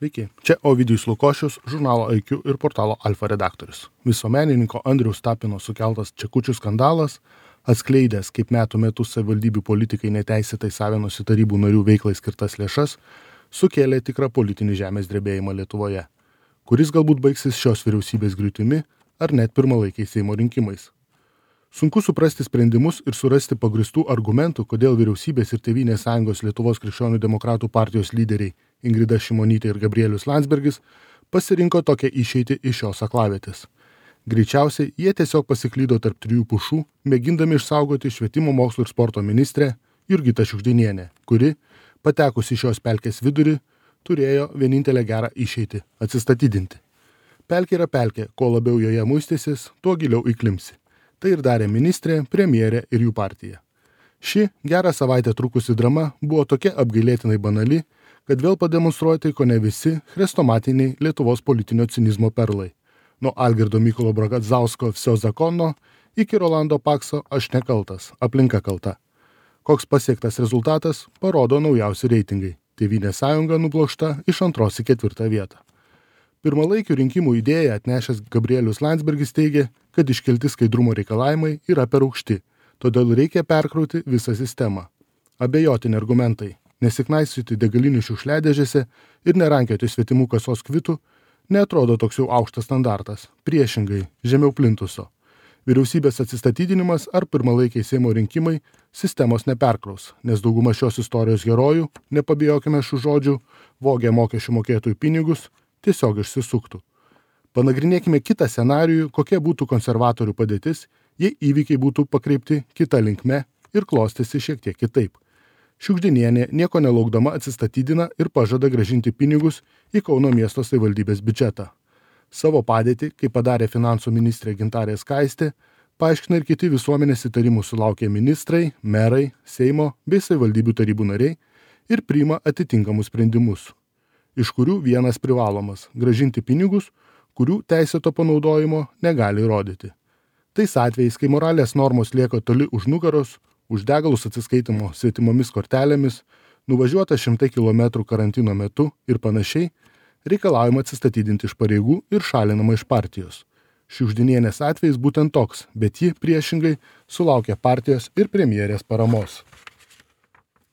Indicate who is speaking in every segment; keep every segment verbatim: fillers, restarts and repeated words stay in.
Speaker 1: Sveiki, čia Ovidijus Lukošius, žurnalo I Q ir portalo Alfa redaktorius. Visuomenininko Andriaus Tapino sukeltas Čekučių skandalas, atskleidęs, kaip metų metus savivaldybių politikai neteisėtai savinosi tarybų narių veiklai skirtas lėšas, sukėlė tikrą politinį žemės drebėjimą Lietuvoje, kuris galbūt baigsis šios vyriausybės griūtimi ar net pirmalaikiais Seimo rinkimais. Sunku suprasti sprendimus ir surasti pagristų argumentų, kodėl vyriausybės ir Tėvynės sąjungos Lietuvos krikščionių demokratų partijos lyderiai Ingrida Šimonytė ir Gabrielius Landsbergis pasirinko tokią išeitį iš šios aklavietės. Greičiausiai jie tiesiog pasiklydo tarp trijų pušų, mėgindami išsaugoti švietimo, mokslo ir sporto ministrę Jurgitą Šiugždinienę, kuri, patekusi šios pelkės vidurį, turėjo vienintelę gerą išeitį – atsistatydinti. Pelkė yra pelkė, kuo labiau joje muistysis, tuo giliau įklimsi. Tai ir darė ministrė, premjerė ir jų partija. Ši gerą savaitę trukusi drama buvo tokia apgailėtinai banali, kad vėl pademonstruoti ko ne visi chrestomatiniai Lietuvos politinio cinizmo perlai. Nuo Algirdo Mykolo Bragadzausko Vsio zakono iki Rolando Pakso Aš nekaltas, aplinka kalta. Koks pasiektas rezultatas, parodo naujausi reitingai. Tėvynės sąjunga nublokšta iš antros į ketvirtą vietą. Pirmalaikių rinkimų idėją atnešęs Gabrielius Landsbergis teigė, kad iškelti skaidrumo reikalavimai yra per aukšti, todėl reikia perkrauti visą sistemą. Abejotini argumentai, nesiknaisiuoti degalinių šiukšliadėžėse ir nerankioti svetimų kasos kvitų, neatrodo toks jau aukštas standartas, priešingai, žemiau plintuso. Vyriausybės atsistatydinimas ar pirmalaikiai Seimo rinkimai sistemos neperkraus, nes dauguma šios istorijos herojų, nepabijokime šių žodžių, vogė mokesčių mokėtojų pinigus, tiesiog išsisuktų. Panagrinėkime kitą scenarijų, kokia būtų konservatorių padėtis, jei įvykiai būtų pakreipti kita linkme ir klostėsi šiek tiek kitaip. Šiugždinienė nieko nelaukdama atsistatydina ir pažada grąžinti pinigus į Kauno miesto savivaldybės biudžetą. Savo padėtį, kaip padarė finansų ministrė Gintarė Skaistė, paaiškina ir kiti visuomenės įtarimų sulaukę ministrai, merai, Seimo bei savivaldybių tarybų nariai ir priima atitinkamus sprendimus, iš kurių vienas privalomas – grąžinti pinigus, kurių teisėto panaudojimo negali įrodyti. Tais atvejais, kai moralės normos lieka toli už nugaros, už degalus atsiskaitimo svetimomis kortelėmis, nuvažiuota šimtai kilometrų karantino metu ir panašiai, reikalaujama atsistatydinti iš pareigų ir šalinama iš partijos. Šiugždinienės atvejais būtent toks, bet ji priešingai sulaukė partijos ir premjerės paramos.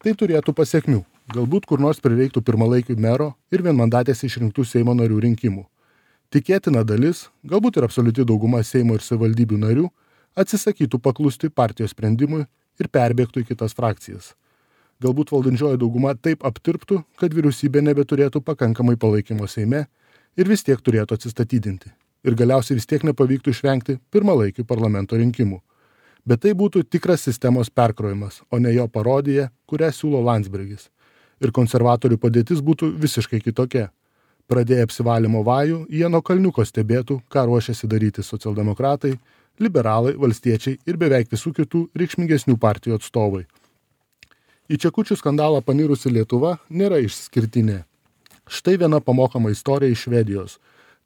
Speaker 1: Tai turėtų pasekmių. Galbūt kur nors prireiktų pirmalaikių mero ir vienmandatės išrinktų Seimo narių rinkimų. Tikėtina dalis, galbūt ir absoliuti dauguma Seimo ir savivaldybių narių, atsisakytų paklusti partijos sprendimui ir perbėgtų į kitas frakcijas. Galbūt valdančioji dauguma taip aptirptų, kad vyriausybė nebeturėtų pakankamai palaikymo Seime ir vis tiek turėtų atsistatydinti. Ir galiausiai vis tiek nepavyktų išvengti pirmalaikių parlamento rinkimų. Bet tai būtų tikras sistemos perkrojimas, o ne jo parodija, kurią siūlo Landsbergis. Ir konservatorių padėtis būtų visiškai kitokia. Pradėję apsivalymo vajų, jie nuo kalniuko stebėtų, ką ruošiasi daryti socialdemokratai, liberalai, valstiečiai ir beveik visų kitų reikšmingesnių partijų atstovai. Į Čekučių skandalą panirusi Lietuva nėra išskirtinė. Štai viena pamokama istorija iš Švedijos,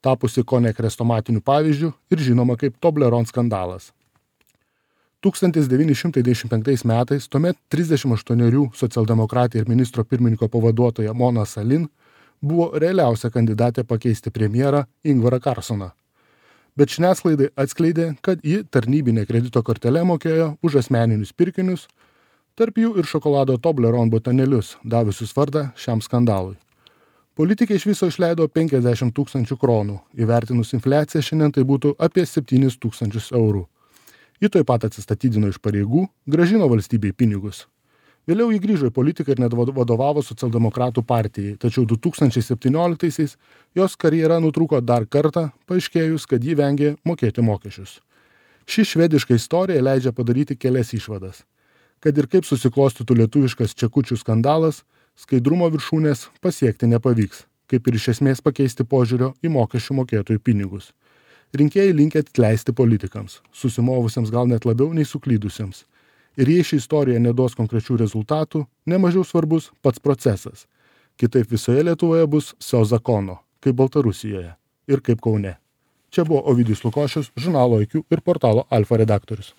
Speaker 1: tapusi kone chrestomatiniu pavyzdžiu ir žinoma kaip Toblerone skandalas. tūkstantis devyni šimtai devyniasdešimt penktais metais tuomet trisdešimt aštuonerių socialdemokratė ir ministro pirmininko pavaduotoja Mona Sahlin buvo realiausia kandidatė pakeisti premjerą Ingvarą Carlsoną. Bet žiniasklaidai atskleidė, kad ji tarnybinė kredito kortele mokėjo už asmeninius pirkinius, tarp jų ir šokolado Toblerone botanėlius, davusius vardą šiam skandalui. Politikai iš viso išleido penkiasdešimt tūkstančių kronų, įvertinus infliaciją šiandien tai būtų apie septynis tūkstančius eurų. Ji taip pat atsistatydino iš pareigų, grąžino valstybei pinigus. Vėliau ji grįžo į politiką ir net vadovavo socialdemokratų partijai, tačiau du tūkstančiai septynioliktaisiais jos karjera nutrūko dar kartą, paaiškėjus, kad ji vengė mokėti mokesčius. Ši švediška istorija leidžia padaryti kelias išvadas. Kad ir kaip susiklostytų lietuviškas Čekučių skandalas, skaidrumo viršūnės pasiekti nepavyks, kaip ir iš esmės pakeisti požiūrio į mokesčių mokėtojų pinigus. Rinkėjai linkę atleisti politikams, susimovusiems gal net labiau nei suklydusiems. Ir jei ši istorija neduos konkrečių rezultatų, nemažiau svarbus pats procesas. Kitaip visoje Lietuvoje bus Vsio zakono, kaip Baltarusijoje ir kaip Kaune. Čia buvo Ovidijus Lukošius, žurnalo I Q ir portalo Alfa redaktorius.